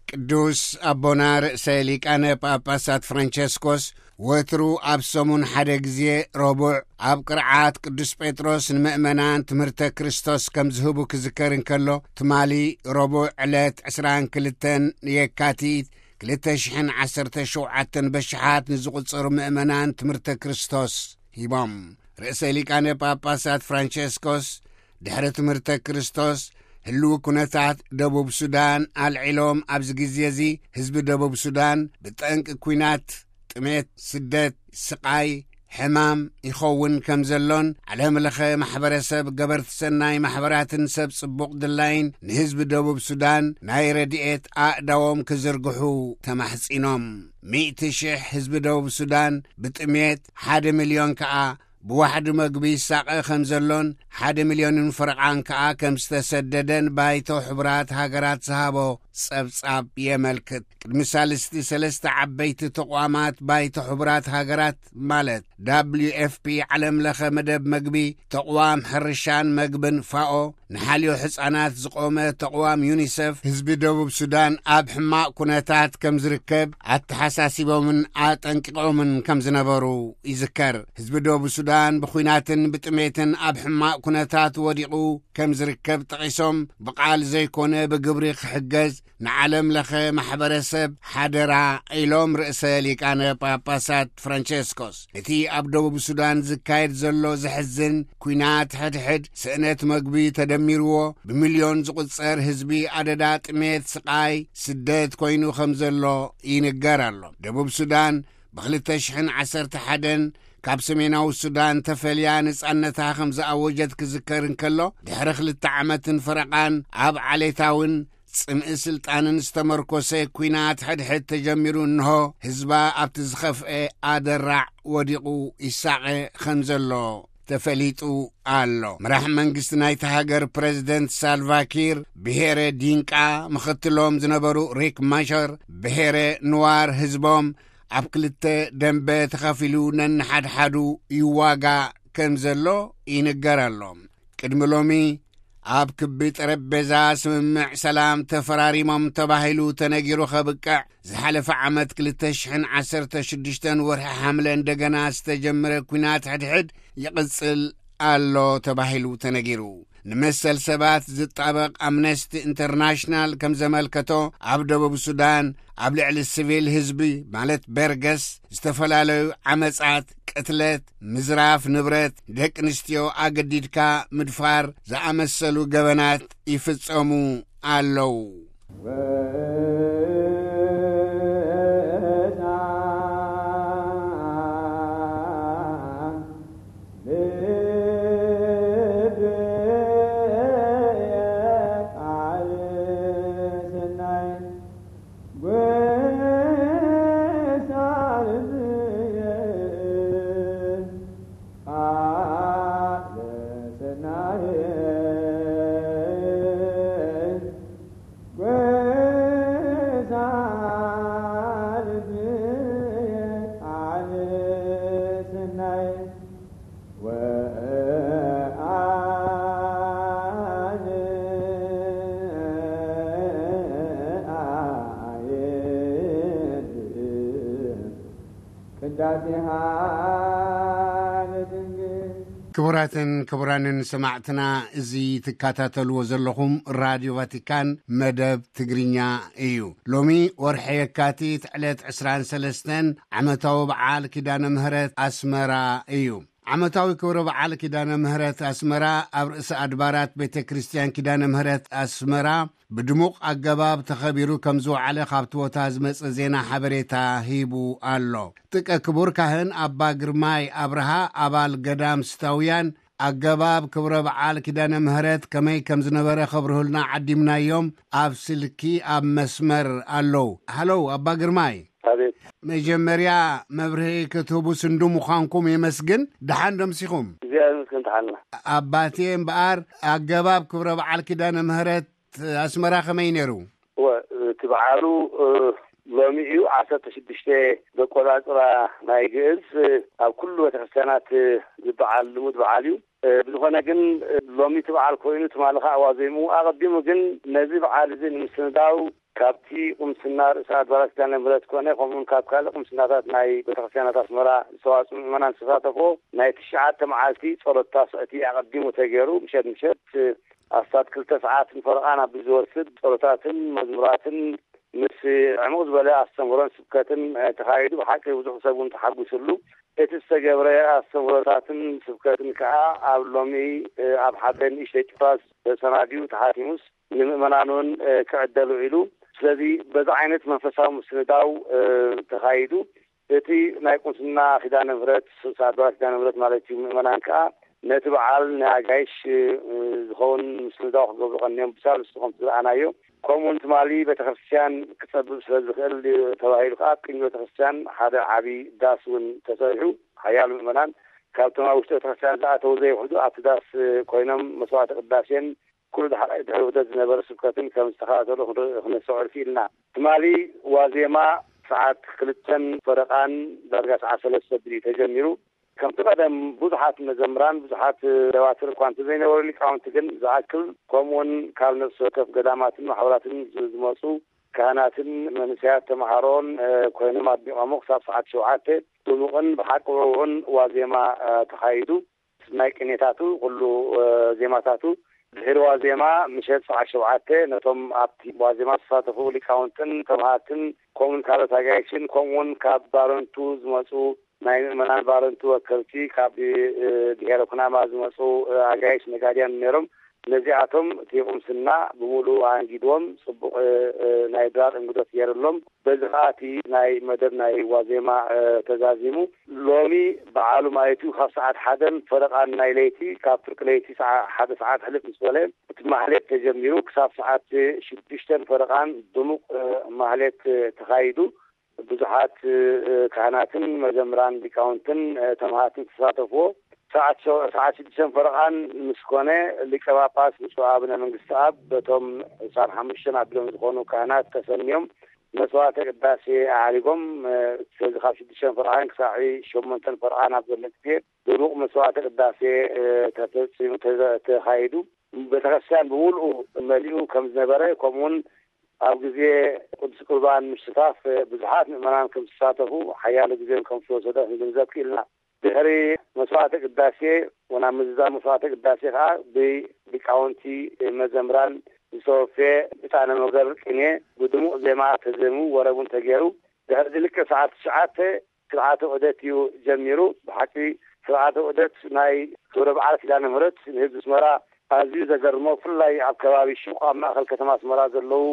ቅዱስ ኣቦና ርእሰ ሊቃነ ጳጳሳት ፍራንቸስኮስ ወትሩ ኣብ ሰሙን ሓደ ግዜ ረቡዕ ኣብ ቅርዓት ቅዱስ ጴጥሮስ ንምእመናን ትምህርተ ክርስቶስ ከም ዝህቡ ክዝከር እንከሎ፣ ትማሊ ረቡዕ ዕለት ዕስራን ክልተን የካቲት ክልተ ሽሕን ዓሰርተ ሸውዓተን በሽሓት ንዝቑጸሩ ምእመናን ትምህርተ ክርስቶስ ሂቦም። ርእሰ ሊቃነ ጳጳሳት ፍራንቸስኮስ ድሕሪ ትምህርተ ክርስቶስ ህልው ኩነታት ደቡብ ሱዳን ኣልዒሎም፣ ኣብዚ ግዜ እዚ ህዝቢ ደቡብ ሱዳን ብጠንቂ ኲናት፣ ጥሜት፣ ስደት፣ ስቓይ፣ ሕማም ይኸውን ከም ዘሎን፣ ዓለም ለኸ ማሕበረሰብ፣ ገበርቲ ሰናይ ማሕበራትን ሰብ ጽቡቕ ድላይን ንህዝቢ ደቡብ ሱዳን ናይ ረድኤት ኣእዳዎም ክዝርግሑ ተማሕጺኖም። ሚእቲ ሽሕ ህዝቢ ደቡብ ሱዳን ብጥሜት፣ ሓደ ሚልዮን ከኣ ብዋሕዲ መግቢ ይሳቐ ከም ዘሎን ሓደ ሚልዮንን ፈረቓን ከኣ ከም ዝተሰደደን ባይቶ ሕቡራት ሃገራት ዝሃቦ ጸብጻብ የመልክት። ቅድሚ ሳልስቲ ሰለስተ ዓበይቲ ተቋማት ባይቶ ሕቡራት ሃገራት ማለት ዳብሊዩ ኤፍ ፒ፣ ዓለም ለኸ መደብ መግቢ፣ ተቕዋም ሕርሻን መግብን ፋኦ፣ ንሓልዮ ሕጻናት ዝቖመ ተቕዋም ዩኒሰፍ፣ ህዝቢ ደቡብ ሱዳን ኣብ ሕማቕ ኩነታት ከም ዝርከብ ኣተሓሳሲቦምን ኣጠንቂቖምን ከም ዝነበሩ ይዝከር። ህዝቢ ደቡብ ሱዳን ብኲናትን ብጥሜትን ኣብ ሕማቕ ኩነታት ወዲቑ ከም ዝርከብ ጠቒሶም፣ ብቓል ዘይኮነ ብግብሪ ክሕገዝ ንዓለም ለኸ ማሕበረሰብ ሓደራ ኢሎም ርእሰ ሊቃነ ጳጳሳት ፍራንቸስኮስ። እቲ ኣብ ደቡብ ሱዳን ዝካየድ ዘሎ ዘሕዝን ኲናት ሕድሕድ፣ ስእነት መግቢ ተደሚርዎ፣ ብሚልዮን ዝቑጸር ህዝቢ ኣደዳ ጥሜት፣ ስቓይ፣ ስደት ኮይኑ ከም ዘሎ ይንገር ኣሎ። ደቡብ ሱዳን ብኽልተ ሽሕን ዓሰርተ ሓደን ካብ ሰሜናዊ ሱዳን ተፈልያ ነጻነታ ከም ዝኣወጀት ክዝከር እንከሎ፣ ድሕሪ ክልተ ዓመትን ፈረቓን ኣብ ዓሌታውን ጽምኢ ስልጣንን ዝተመርኮሰ ኲናት ሕድሕድ ተጀሚሩ፣ እንሆ ህዝባ ኣብቲ ዝኸፍኤ ኣደራዕ ወዲቑ ይሳቐ ከም ዘሎ ተፈሊጡ ኣሎ። መራሕ መንግስቲ ናይቲ ሃገር ፕረዚደንት ሳልቫኪር ብሄረ ዲንቃ፣ ምኽትሎም ዝነበሩ ሪክ ማሸር ብሄረ ንዋር፣ ህዝቦም ኣብ ክልተ ደንበ ተኸፊሉ ነንሓድሓዱ ይዋጋእ ከም ዘሎ ይንገር ኣሎ። ቅድሚ ሎሚ ኣብ ክቢ ጠረጴዛ ስምምዕ ሰላም ተፈራሪሞም ተባሂሉ ተነጊሩ ከብቅዕ፣ ዝሓለፈ ዓመት ክልተ ሽሕን ዓሰርተ ሽዱሽተን ወርሒ ሓምለ እንደገና ዝተጀመረ ኲናት ሕድሕድ ይቕጽል ኣሎ ተባሂሉ ተነጊሩ። ንመሰል ሰባት ዝጣበቕ ኣምነስቲ ኢንተርናሽናል ከም ዘመልከቶ፣ ኣብ ደቡብ ሱዳን ኣብ ልዕሊ ሲቪል ህዝቢ፣ ማለት በርገስ፣ ዝተፈላለዩ ዓመጻት፣ ቅትለት፣ ምዝራፍ ንብረት፣ ደቂ ኣንስትዮ ኣገዲድካ ምድፋር ዝኣመሰሉ ገበናት ይፍጸሙ ኣለዉ። ቅዳሴሃ ለድንግል። ክቡራትን ክቡራንን ሰማዕትና፣ እዚ ትከታተልዎ ዘለኹም ራድዮ ቫቲካን መደብ ትግርኛ እዩ። ሎሚ ወርሒ የካቲት ዕለት ዕስራን ሰለስተን ዓመታዊ በዓል ኪዳነ ምህረት ኣስመራ እዩ። ዓመታዊ ክብረ በዓል ኪዳነ ምህረት ኣስመራ ኣብ ርእሰ ኣድባራት ቤተ ክርስቲያን ኪዳነ ምህረት ኣስመራ ብድሙቕ ኣገባብ ተኸቢሩ ከም ዝወዓለ ካብ ትወታ ዝመጸ ዜና ሓበሬታ ሂቡ ኣሎ። ጥቀ ክቡር ካህን ኣባ ግርማይ ኣብርሃ፣ ኣባል ገዳም ስታውያን፣ ኣገባብ ክብረ በዓል ኪዳነ ምህረት ከመይ ከም ዝነበረ ከብርሁልና ዓዲምናዮም ኣብ ስልኪ ኣብ መስመር ኣለዉ። ሃለው ኣባ ግርማይ። ኣቤት። መጀመርያ መብርሂ ክትህቡ ስንዱ ምዃንኩም የመስግን። ደሓን ደምሲኹም? እግዚኣብሔር ይመስገን፣ ደሓንና። ኣባቴ እምበኣር፣ ኣገባብ ክብረ በዓል ኪዳነ ምህረት ኣስመራ ከመይ ነይሩ? እወ፣ እቲ በዓሉ፣ እ፣ ሎሚ እዩ፣ ዓሰርተ ሽዱሽተ በቆላጽራ ናይ ግእዝ፣ እ፣ ኣብ ኩሉ ቤተክርስትያናት፣ እ፣ ዝበዓል ልሙድ በዓል እዩ። እ፣ ብዝኾነ ግን፣ እ፣ ሎሚ እቲ በዓል ኮይኑ ትማሊ ኸዓ ዋዜምኡ። ኣቐዲሙ ግን ነዚ በዓል እዚ ንምስንዳው ካብቲ ቁምስና ርእሰ ኣድባራት ኪዳነ ምህረት ኮነ፣ ከምኡውን ካብ ካልእ ቁምስናታት ናይ ቤተክርስትያናት ኣስመራ ዝተዋጽኡ ምእመናን ዝተሳተፎ ናይ ትሽዓተ መዓልቲ ጸሎት ታስዕቲ ኣቐዲሙ ተገይሩ፣ ምሸት ምሸት ኣስታት ክልተ ሰዓት ንፈረቓን ኣብ ዝወስድ ጸሎታትን መዝሙራትን ምስ ዕሙቕ ዝበለ ኣስተምህሮን ስብከትን፣ እ፣ ተኻይዱ። ብሓቂ ብዙሕ ሰብ እውን ተሓጒስሉ። እቲ ዝተገብረ ኣስተምህሮታትን ስብከትን ከኣ ኣብ ሎሚ፣ እ፣ ኣብ ሓደ ንእሽተይ ጭፍራ ተሰናድዩ ተሓቲሙስ ንምእመናን እውን፣ እ፣ ክዕደል ውዒሉ። ስለዚ በዚ ዓይነት መንፈሳዊ ምስንዳው፣ እ፣ ተኻይዱ። እቲ ናይ ቁምስና ኪዳነ ምህረት፣ ስሳ ኣድባራት ኪዳነ ምህረት ማለት እዩ፣ ምእመናን ከኣ ነቲ በዓል ናይ ኣጋይሽ፣ እ፣ ዝኸውን ምስንዳው ክገብሩ ቀንዮም ብሳልስቲ ከምቲ ዝረኣናዮ። ከምኡውን ትማሊ ቤተክርስትያን ክጸብብ ስለ ዝኽእል ተባሂሉ ከኣ ኣብ ቅድሚ ቤተክርስትያን ሓደ ዓቢ ዳስ እውን ተሰሪሑ። ሓያሎ ምእመናን ካብቶም ኣብ ውሽጢ ቤተክርስትያን ዝኣተዉ ዘይውሕዱ ኣብቲ ዳስ ኮይኖም መስዋዕተ ቅዳሴን ኩሉ ድሕሪ፣ ድሕሪ ውህደት ዝነበረ ስብከትን ከም ዝተኸታተሉ ክንርኢ፣ ክነስተውዕል ክኢልና። ትማሊ ዋዜማ ሰዓት ክልተን ፈረቓን ዳርጋ ሰዓት ሰለስተ ብድዩ ተጀሚሩ። ከምቲ ቀደም ብዙሓት መዘምራን፣ ብዙሓት ደዋትር እኳ እንተዘይነበሩ፣ ሊቃውንቲ ግን ዝኣክል፣ ከምኡውን ካብ ነፍሲ ወከፍ ገዳማትን ማሕበራትን ዝ-፣ ዝመጹ ካህናትን መንእሰያት ተምሃሮን፣ እ፣ ኮይኖም ኣድሚቖሞ ክሳብ ሰዓት ሸውዓተ ድሙቕን ብሓቂ ውዕዉዕን ዋዜማ፣ እ፣ ተኻይዱ። ናይ ቅኔታቱ ኩሉ፣ እ፣ ዜማታቱ ድሕሪ ዋዜማ ምሸት ሰዓት ሸውዓተ ነቶም ኣብቲ ዋዜማ ዝተሳተፉ ሊቃውንትን ተምሃርትን ከምኡውን ካልኦት ኣጋይሽን ከምኡውን ካብ ባረንቱ ዝመጹ ናይ ምእመናን ባረንቱ ወከልቲ ካብ፣ እ፣ ብሄረ ኩናማ ዝመጹ፣ እ፣ ኣጋይሽ ነጋድያን ነይሮም። ነዚኣቶም እቲ ቁምስና ብምሉኡ ኣንጊድዎም ጽቡቕ፣ እ፣ እ፣ ናይ ድራር እንግዶት ገይርሎም። በዚ ኸኣ እቲ ናይ መደብ ናይ ዋዜማ፣ እ፣ ተዛዚሙ። ሎሚ በዓሉ ማለት እዩ ካብ ሰዓት ሓደን ፈረቓን ናይ ለይቲ፣ ካብ ፍርቂ ለይቲ ሰዓ-፣ ሓደ ሰዓት ሕልፍ ምስ በለ እቲ ማህሌት ተጀሚሩ ክሳብ ሰዓት ሽዱሽተን ፈረቓን ድሙቕ፣ እ፣ ማህሌት፣ እ፣ ተኻይዱ። ብዙሓት፣ እ፣ ካህናትን መዘምራን ሊቃውንትን፣ እ፣ ተምሃርትን ዝተሳተፍዎ። ሰዓት ሸ-፣ ሰዓት ሽዱሽተን ፈረቓን ምስ ኮነ፣ ሊቀ ጳጳስ ብፁዕ ኣቡነ መንግስቲ ኣብ በቶም ዕስራን ሓሙሽተን ኣቢሎም ዝኾኑ ካህናት ተሰንዮም መስዋዕተ ቅዳሴ ኣዕሪጎም። እ፣ ስለዚ ካብ ሽዱሽተን ፈረቓን ክሳዕ ሸሞንተን ፈረቓን ኣብ ዘሎ ግዜ ድሙቕ መስዋዕተ ቅዳሴ፣ እ፣ ተፈጺሙ፣ ተዘ-፣ ተኻይዱ። ቤተክርስትያን ብምሉኡ መሊኡ ከም ዝነበረ፣ ከምኡውን ኣብ ግዜ ቅዱስ ቁርባን ምስታፍ ብዙሓት ምእመናን ከም ዝሳተፉ፣ ሓያሎ ግዜ ከም ዝተወሰደ ክንግንዘብ ክኢልና። ድሕሪ መስዋዕተ ቅዳሴ፣ ወናብ ምዝዛም መስዋዕተ ቅዳሴ ከኣ ብሊቃውንቲ መዘምራን ዝተወፈየ ዕጣነ መገር ቅኔ ብድሙቕ ዜማ ተዜሙ፣ ወረብ እውን ተገይሩ። ድሕሪ እዚ ልክዕ ሰዓት ትሽዓተ ስርዓተ ዑደት እዩ ጀሚሩ። ብሓቂ ስርዓተ ዑደት ናይ ክብረ በዓል ኪዳነ ምሕረት ንህዝቢ ኣስመራ ኣዝዩ ዘገርሞ፣ ብፍላይ ኣብ ከባቢ ሹቕ ኣብ ማእከል ከተማ ኣስመራ ዘለዉ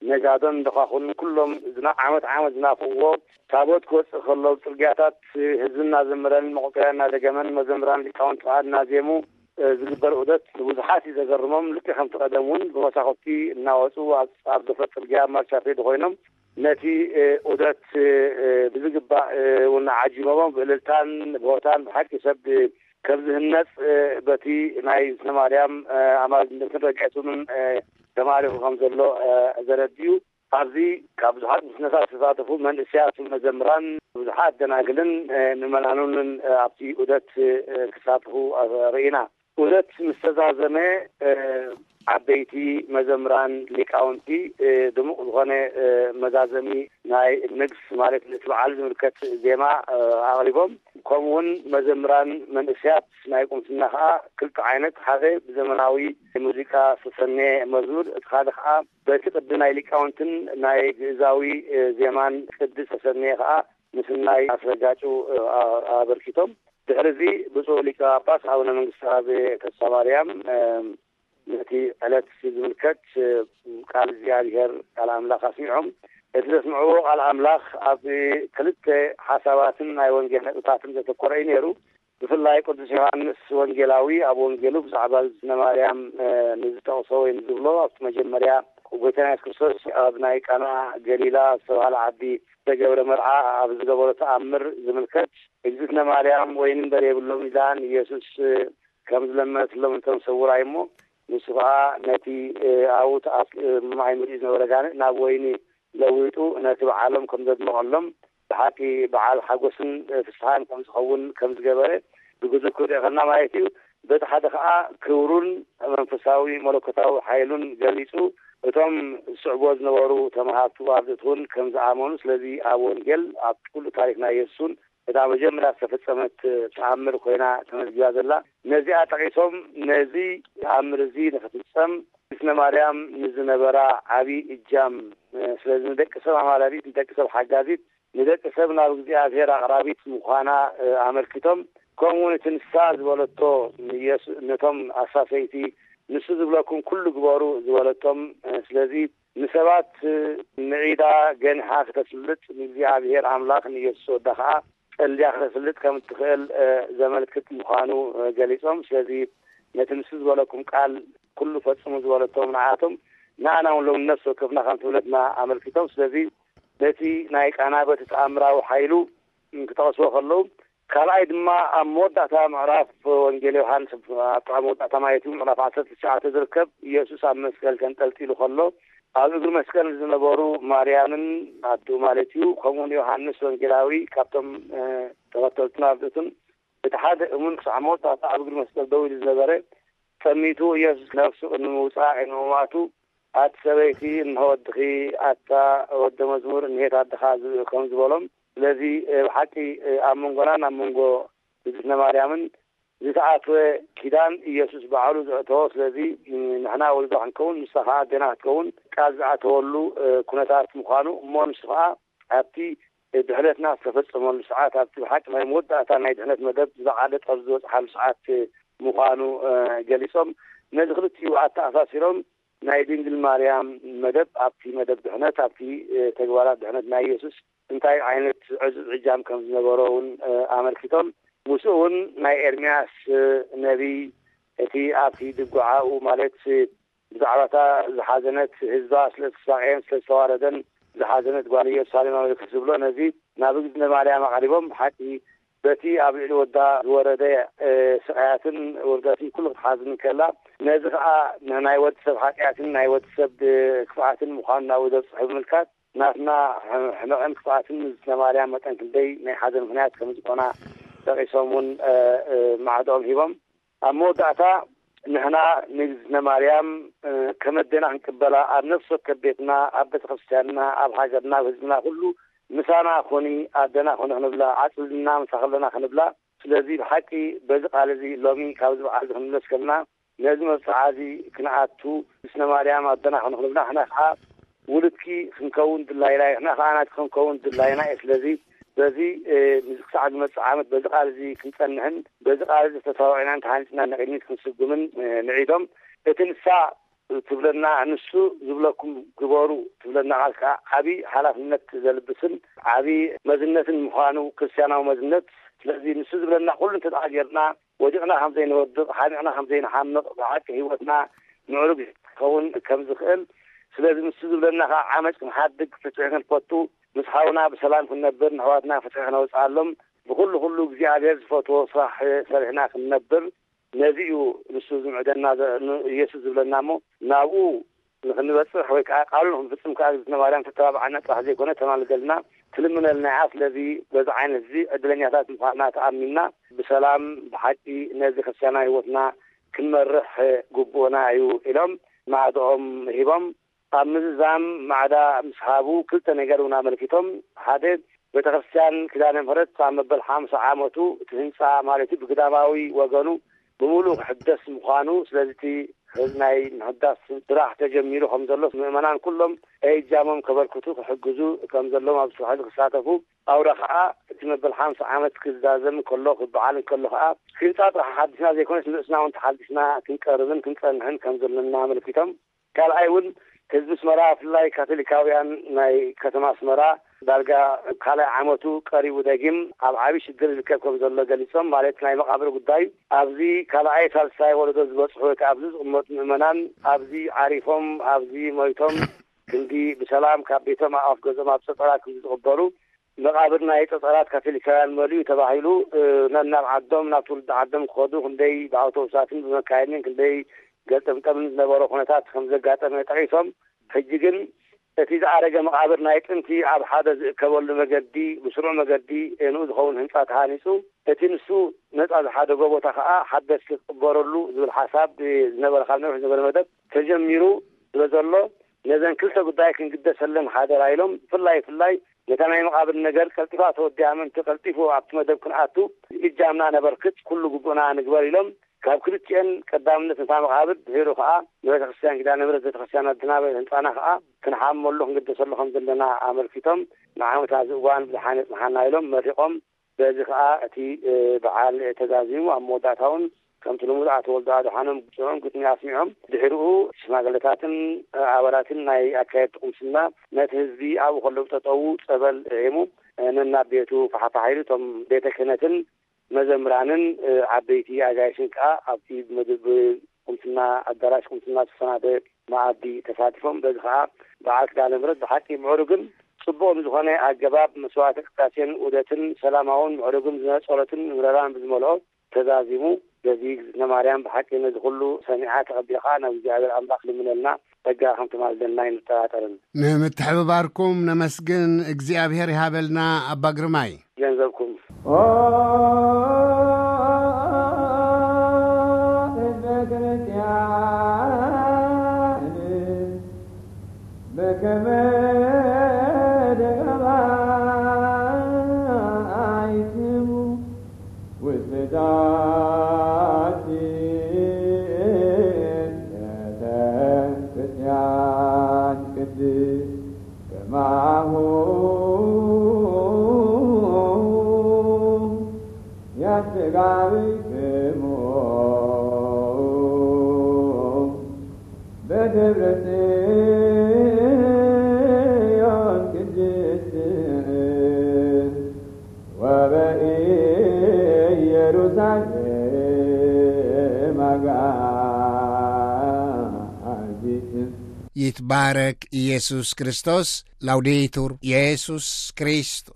ነጋዶን ደኻኹንን ኩሎም ዝና-፣ ዓመት ዓመት ዝናፍቕዎ ታቦት ክወጽእ ከሎ ኣብ ጽርግያታት ህዝቢ እናዘመረን መቖጸርያ እናደገመን መዘምራን ሊቃውንቲ ከኣ እናዜሙ፣ እ፣ ዝግበር ዑደት ንብዙሓት እዩ ዘገርሞም። ልክዕ ከምቲ ቀደም እውን ብመሳኹቲ እናወጹ ኣብ፣ ኣብ ገፈት ጽርግያ ኣብ ማርቻ ፔድ ኮይኖም ነቲ፣ እ፣ ዑደት፣ እ፣ ብዝግባእ፣ እ፣ እውን ዓጂቦሞ ብእልልታን ብሆታን ብሓቂ ሰብ ከም ዝህነጽ፣ እ፣ በቲ ናይ ዝነ ማርያም፣ እ፣ ኣማልድነትን ረድኤቱን፣ እ፣ ተማሪኹ ከም ዘሎ፣ እ፣ ዘረድእ እዩ። ኣብዚ ካብ ብዙሓት ምስነታት ዝተሳተፉ መንእሰያት መዘምራን፣ ብዙሓት ደናግልን፣ እ፣ ምእመናኑንን፣ እ፣ ኣብቲ ዑደት፣ እ፣ ክሳተፉ፣ እ፣ ርኢና። ዑደት ምስ ተዛዘመ፣ እ፣ ዓበይቲ መዘምራን፣ ሊቃውንቲ፣ እ፣ ድሙቕ ዝኾነ፣ እ፣ መዛዘሚ ናይ ንግስ፣ ማለት ነቲ በዓል ዝምልከት ዜማ፣ እ፣ ኣቕሪቦም። ከምኡውን መዘምራን መንእሰያት ናይ ቁምስና ከኣ ክልተ ዓይነት፣ ሓደ ብዘመናዊ ሙዚቃ ዝተሰነየ መዝሙር፣ እቲ ካልእ ከኣ በቲ ቅዲ ናይ ሊቃውንትን ናይ ግእዛዊ፣ እ፣ ዜማን ቅዲ ዝተሰነየ ከኣ ምስናይ ኣስረጋጩ፣ እ፣ ኣ-፣ ኣበርኪቶም። ድሕሪ እዚ ብፁዕ ሊቀ ጳጳስ ኣቡነ መንግስተ ኣብ ተስፋ ማርያም፣ እ፣ ነቲ ዕለት ዝምልከት፣ እ፣ ቃል እግዚኣብሔር፣ ቃል ኣምላኽ ኣስሚዖም። እቲ ዘስምዕዎ ቃል ኣምላኽ ኣብ ክልተ ሓሳባትን ናይ ወንጌል ነጥብታትን ዘተኮረ እዩ ነይሩ። ብፍላይ ቅዱስ ዮሃንስ ወንጌላዊ ኣብ ወንጌሉ ብዛዕባ ዝነ ማርያም፣ እ፣ ንዝጠቕሶ ወይ ንዝብሎ፣ ኣብቲ መጀመርያ ጎይታና የሱስ ክርስቶስ ኣብ ናይ ቃና ገሊላ ዝተባህለ ዓዲ ዝተገብረ መርዓ ኣብ ዝገበሮ ተኣምር ዝምልከት፣ እግዝእትነ ማርያም ወይኒ እምበር የብሎም ኢላ ንየሱስ፣ እ፣ ከም ዝለመነትሎም እንተም ሰውራይ እሞ፣ ንሱ ኸዓ ነቲ፣ እ፣ ኣብኡ ተኣስ-፣ እ፣ ማይ ምልኡ ዝነበረ ጋንእ ናብ ወይኒ ለዊጡ ነቲ በዓሎም ከም ዘድመቐሎም፣ ብሓቂ በዓል ሓጎስን፣ እ፣ ፍስሓን ከም ዝኸውን ከም ዝገበረ ብግዙፍ ክርኦ ከና ማለት እዩ። በቲ ሓደ ኸዓ ክብሩን መንፈሳዊ መለኮታዊ ሓይሉን ገሊጹ፣ እቶም ዝስዕቦ ዝነበሩ ተማሃርቱ ኣርድእቲ እውን ከም ዝኣመኑ፣ ስለዚ ኣብ ወንጌል ኣብ ኩሉ ታሪኽ ናይ የሱስ እውን እታ መጀመርያ ዝተፈጸመት ተኣምር ኮይና ተመዝጊባ ዘላ። ነዚኣ ጠቒሶም፣ ነዚ ተኣምር እዚ ንኽፍጸም ስነ ማርያም ንዝነበራ ዓቢ እጃም፣ ስለዚ ንደቂ ሰብ ኣማላዲት፣ ንደቂ ሰብ ሓጋዚት፣ ንደቂ ሰብ ናብ እግዚኣብሔር ኣቕራቢት ምዃና፣ እ፣ ኣመልኪቶም፣ ከምኡ እውን እቲ ንሳ ዝበለቶ ንየሱ-፣ ነቶም ኣሳሰይቲ ንሱ ዝብለኩም ኩሉ ግበሩ ዝበለቶም፣ እ፣ ስለዚ ንሰባት፣ እ፣ ምዒዳ ገኒሓ ክተስልጥ፣ ንእግዚኣብሔር ኣምላኽ ንየሱስ ወዳ ኸዓ ጸልያ ክተስልጥ ከም እትኽእል፣ እ፣ ዘመልክት ምዃኑ፣ እ፣ ገሊጾም። ስለዚ ነቲ ንሱ ዝበለኩም ቃል ኩሉ ፈጽሙ ዝበለቶም ንዓቶም፣ ንኣና እውን ሎም ነፍሲ ወከፍና ከም ትብለትና ኣመልኪቶም። ስለዚ ነቲ ናይ ቃና በቲ ተኣምራዊ ሓይሉ ክጠቕስዎ ከለዉ፣ ካልኣይ ድማ ኣብ መወዳእታ ምዕራፍ ወንጌል ዮሃንስ፣ ኣብታ መወዳእታ ማለት እዩ፣ ምዕራፍ ዓሰርተ ትሽዓተ ዝርከብ፣ ኢየሱስ ኣብ መስቀል ተንጠልጢሉ ከሎ፣ ኣብ እግሪ መስቀል ዝነበሩ ማርያምን ኣዲኡ ማለት እዩ፣ ከምኡውን ዮሃንስ ወንጌላዊ ካብቶም፣ እ፣ ተኸተልቱን ኣርድእቱን እቲ ሓደ እሙን ክሳዕ መወዳእታ ኣብ እግሪ መስቀል ደው ኢሉ ዝነበረ፣ ጠሚቱ ኢየሱስ ነፍሱ ቅድሚ ምውጻእ፣ ቅድሚ ምማቱ፣ ኣቲ ሰበይቲ፣ እንሆ ወድኺ፣ ኣታ ወደ መዝሙር፣ እንሄት ኣደኻ፣ ዝ-፣ ከም ዝበሎም። ስለዚ፣ እ፣ ብሓቂ፣ እ፣ ኣብ መንጎናን ኣብ መንጎ እግዝእትነ ማርያምን ዝተኣትወ ኪዳን ኢየሱስ ባዕሉ ዘእተዎ። ስለዚ፣ እ፣ ንሕና ወልዳ ክንከውን፣ ንሳ ኸዓ ኣዴና ክትከውን ቃል ዝኣተወሉ፣ እ፣ ኩነታት ምዃኑ፣ እሞ ንሱ ኸዓ ኣብቲ ድሕነትና ዝተፈጸመሉ ሰዓት፣ ኣብቲ ብሓቂ ናይ መወዳእታ ናይ ድሕነት መደብ ዝለዓለ ጠርዚ ዝበጽሓሉ ሰዓት ምዃኑ፣ እ፣ ገሊጾም፣ ነዚ ክልቲኡ ኣተኣሳሲሮም ናይ ድንግል ማርያም መደብ ኣብቲ መደብ ድሕነት፣ ኣብቲ፣ እ፣ ተግባራት ድሕነት ናይ ኢየሱስ እንታይ ዓይነት ዕዙዝ ዕጃም ከም ዝነበሮ እውን፣ እ፣ ኣመልኪቶም፣ ምስኡ እውን ናይ ኤርምያስ፣ እ፣ ነቢይ እቲ ኣብቲ ድጉዓኡ ማለት ብዛዕባ እታ ዝሓዘነት ህዝባ፣ ስለ ዝተሳቐየን ስለ ዝተዋረደን ዝሓዘነት ጓል ኢየሩሳሌም ኣመልክት ዝብሎ ነዚ ናብ እግዝእትነ ማርያም ኣቕሪቦም፣ ብሓቂ በቲ ኣብ ልዕሊ ወዳ ዝወረደ፣ እ፣ ስቓያትን ውርደትን ኩሉ ክትሓዝን ከላ፣ ነዚ ኸኣ ንናይ ወዲ ሰብ ሓጢኣትን ናይ ወዲ ሰብ፣ እ፣ ክፍኣትን ምዃኑ ናብኡ ዘብጽሕ ብምልካት፣ ናትና ሕመ-፣ ሕመቕን ክፍኣትን ንዝነ ማርያም መጠን ክንደይ ናይ ሓዘን ምኽንያት ከም ዝኾና ጠቒሶም እውን፣ እ፣ እ፣ ማዕዳኦም ሂቦም። ኣብ መወዳእታ ንሕና ንእግዝእትነ ማርያም፣ እ፣ ከም ኣዴና ክንቅበላ፣ ኣብ ነፍሲ ወከፍ ቤትና፣ ኣብ ቤተ ክርስቲያንና፣ ኣብ ሃገርና፣ ኣብ ህዝብና ኩሉ ምሳና ኩኒ፣ ኣደና ኩኒ ክንብላ፣ ኣጽልልና ምሳ ከለና ክንብላ። ስለዚ ብሓቂ በዚ ቃል እዚ ሎሚ ካብዚ በዓል እዚ ክንምለስ ከለና፣ ነዚ መብጽዓ እዚ ክንኣቱ፣ እግዝእትነ ማርያም ኣደና ኩኒ ክንብላ፣ ንሕና ከኣ ውሉድኪ ክንከውን ድላይና እዩ፣ ንሕና ከኣ ናትኪ ክንከውን ድላይና እዩ። ስለዚ በዚ፣ እ፣ ምስ ክሳዕ ዝመጽእ ዓመት በዚ ቃል እዚ ክንጸንሕን በዚ ቃል እዚ ተሰዋዒናን ተሃኒጽና ንቕድሚት ክንስጉምን፣ እ፣ ምዒዶም። እቲ ንሳ ትብለና፣ ንሱ ዝብለኩም ግበሩ ትብለና ቃል ከኣ ዓቢ ሓላፍነት ዘልብስን ዓቢ መዝነትን ምዃኑ፣ ክርስትያናዊ መዝነት። ስለዚ ንሱ ዝብለና ኩሉ እንተ ደኣ ጌርና፣ ወዲቕና ከም ዘይንወድቕ፣ ሓሚቕና ከም ዘይንሓምቕ፣ ብሓቂ ህይወትና ምዕሩግ ክኸውን ከም ዝኽእል፣ ስለዚ ንሱ ዝብለና ከኣ ዓመጽ ክንሓድግ፣ ፍትሒ ክንፈቱ፣ ምስ ሓውና ብሰላም ክንነብር፣ ንኣሕዋትና ፍትሒ ክነውጽኣሎም፣ ብኹሉ ኩሉ እግዚኣብሔር ዝፈትዎ ስራሕ ሰሪሕና ክንነብር፣ ነዚ እዩ ንሱ ዝምዕደና ዘ-፣ ን-፣ ኢየሱስ ዝብለና እሞ፣ ናብኡ ንኽንበጽሕ ወይ ከኣ ቃሉ ንኽንፍጽም ከኣ እግዝእትነ ማርያም ተተባብዓና ጥራሕ ዘይኮነ ተማልደልና፣ ትልምነልና እያ። ስለዚ በዚ ዓይነት እዚ ዕድለኛታት ምዃንና ተኣሚንና ብሰላም ብሓቂ ነዚ ክርስትያናዊ ህይወትና ክንመርሕ ግቡእና እዩ ኢሎም ማዕድኦም ሂቦም። ኣብ ምዝዛም ማዕዳ ምስ ሃቡ ክልተ ነገር እውን ኣመልኪቶም። ሓደ፣ ቤተ ክርስቲያን ኪዳነ ምሕረት ኣብ መበል ሓምሳ ዓመቱ እቲ ህንጻ ማለት እዩ ብግዳማዊ ወገኑ ብምሉእ ክሕደስ ምዃኑ፣ ስለዚ እቲ ናይ ምሕዳስ ስራሕ ተጀሚሩ ከም ዘሎ፣ ምእመናን ኩሎም እጃሞም ከበርክቱ ክሕግዙ ከም ዘለዎም፣ ኣብ ስራሕ ክሳተፉ፣ ኣውራ ከኣ እቲ መበል ሓምሳ ዓመት ክዛዘም ከሎ፣ ክበዓል ከሎ ከኣ ህንጻ ጥራሕ ሓዲስና ዘይኮነስ ንርእስና እውን ተሓዲስና ክንቀርብን ክንጸንሕን ከም ዘለና ኣመልኪቶም። ካልኣይ እውን ህዝቢ ኣስመራ ብፍላይ ካቶሊካውያን ናይ ከተማ ኣስመራ ዳርጋ ካልኣይ ዓመቱ ቀሪቡ ደጊም ኣብ ዓቢ ሽግር ይርከብ ከም ዘሎ ገሊጾም። ማለት ናይ መቓብር ጉዳይ ኣብዚ ካልኣይ ሳልሳይ ወለዶ ዝበጽሑ ወይ ከኣ ኣብዚ ዝቕመጡ ምእመናን ኣብዚ ዓሪፎም ኣብዚ ሞይቶም ክንዲ ብሰላም ካብ ቤቶም ኣፍ ገዝኦም ኣብ ጸጸራ ክንዲ ዝቕበሩ መቓብር ናይ ጸጸራት ካቶሊካውያን መሊኡ ተባሂሉ፣ እ፣ ነናብ ዓዶም፣ ናብ ትውልዲ ዓዶም ክኸዱ ክንደይ ብኣውቶቡሳትን ብመካይንን ክንደይ ገልጠምጠምን ዝነበሮ ኩነታት ከም ዘጋጠመ ጠቒሶም፣ ሕጂ ግን እቲ ዝኣረገ መቓብር ናይ ጥንቲ ኣብ ሓደ ዝእከበሉ መገዲ፣ ብስሩዕ መገዲ፣ እ፣ ንኡ ዝኸውን ህንጻ ተሃኒጹ፣ እቲ ንሱ ነጻ ዝሓደጎ ቦታ ከኣ ሓደስቲ ክቕበረሉ ዝብል ሓሳብ፣ እ፣ ዝነበረ፣ ካብ ነዊሕ ዝነበረ መደብ ተጀሚሩ ስለ ዘሎ፣ ነዘን ክልተ ጉዳይ ክንግደሰለን ሓደራ ኢሎም፣ ብፍላይ፣ ብፍላይ ነታ ናይ መቓብር ነገር ቀልጢፋ ተወዲኣ ምእንቲ ቀልጢፉ ኣብቲ መደብ ክንኣቱ እጃምና ነበርክት፣ ኩሉ ግቡእና ንግበር ኢሎም፣ ካብ ክልቲኤን ቀዳምነት ነታ መቓብር፣ ድሒሩ ከኣ ንቤተ ክርስቲያን ኪዳነ ምሕረት ቤተ ክርስቲያን ኣድናበ ህንጻና ከኣ ክንሓመሉ ክንግደሰሉ ከም ዘለና ኣመልኪቶም፣ ንዓመት ኣብዚ እዋን ብዝሓነ ጽንሓና ኢሎም መሪቖም፣ በዚ ከኣ እቲ፣ እ፣ በዓል ተዛዚሙ ኣብ መወዳእታ እውን ከምቲ ልሙድ ኣቶ ወልዱ ኣድሓኖም ግጥዑም ግጥሚ ኣስሚዖም፣ ድሕሪኡ ሽማግለታትን ኣባላትን ናይ ኣካየድቲ ቁምስና ነቲ ህዝቢ ኣብኡ ከለዉ ጠጠዉ ጸበል ዒሙ፣ ነናብ ቤቱ ፋሕፋሕ ኢሉ፣ እቶም ቤተ ክህነትን መዘምራንን፣ እ፣ ዓበይቲ ኣጋይሽን ከኣ ኣብቲ መድብ ቁምስና ኣዳራሽ ቁምስና ዝተሰናደ መኣዲ ተሳቲፎም። በዚ ከኣ በዓል ኪዳነ ምሕረት ብሓቂ ምዕሩግን ጽቡቕን ዝኾነ ኣገባብ መስዋዕተ ቅዳሴን ውደትን ሰላማውን ምዕሩግን ዝነ ጸሎትን ምረራን ብዝመልኦ ተዛዚሙ። በዚ እግዝእትነ ማርያም ብሓቂ ነዚ ኩሉ ሰሚዓ ተቐቢልካ ናብ እግዚኣብሔር ኣምላኽ ልምነልና ጸጋ ከም ትማልደልና ኣይንጠራጠርን። ንምትሕብባርኩም ነመስግን፣ እግዚኣብሔር ይሃበልና ኣባ ግርማይ። ገንዘብኩም። ይትባረክ ኢየሱስ ክርስቶስ። ላውዴቱር ኢየሱስ ክርስቶስ።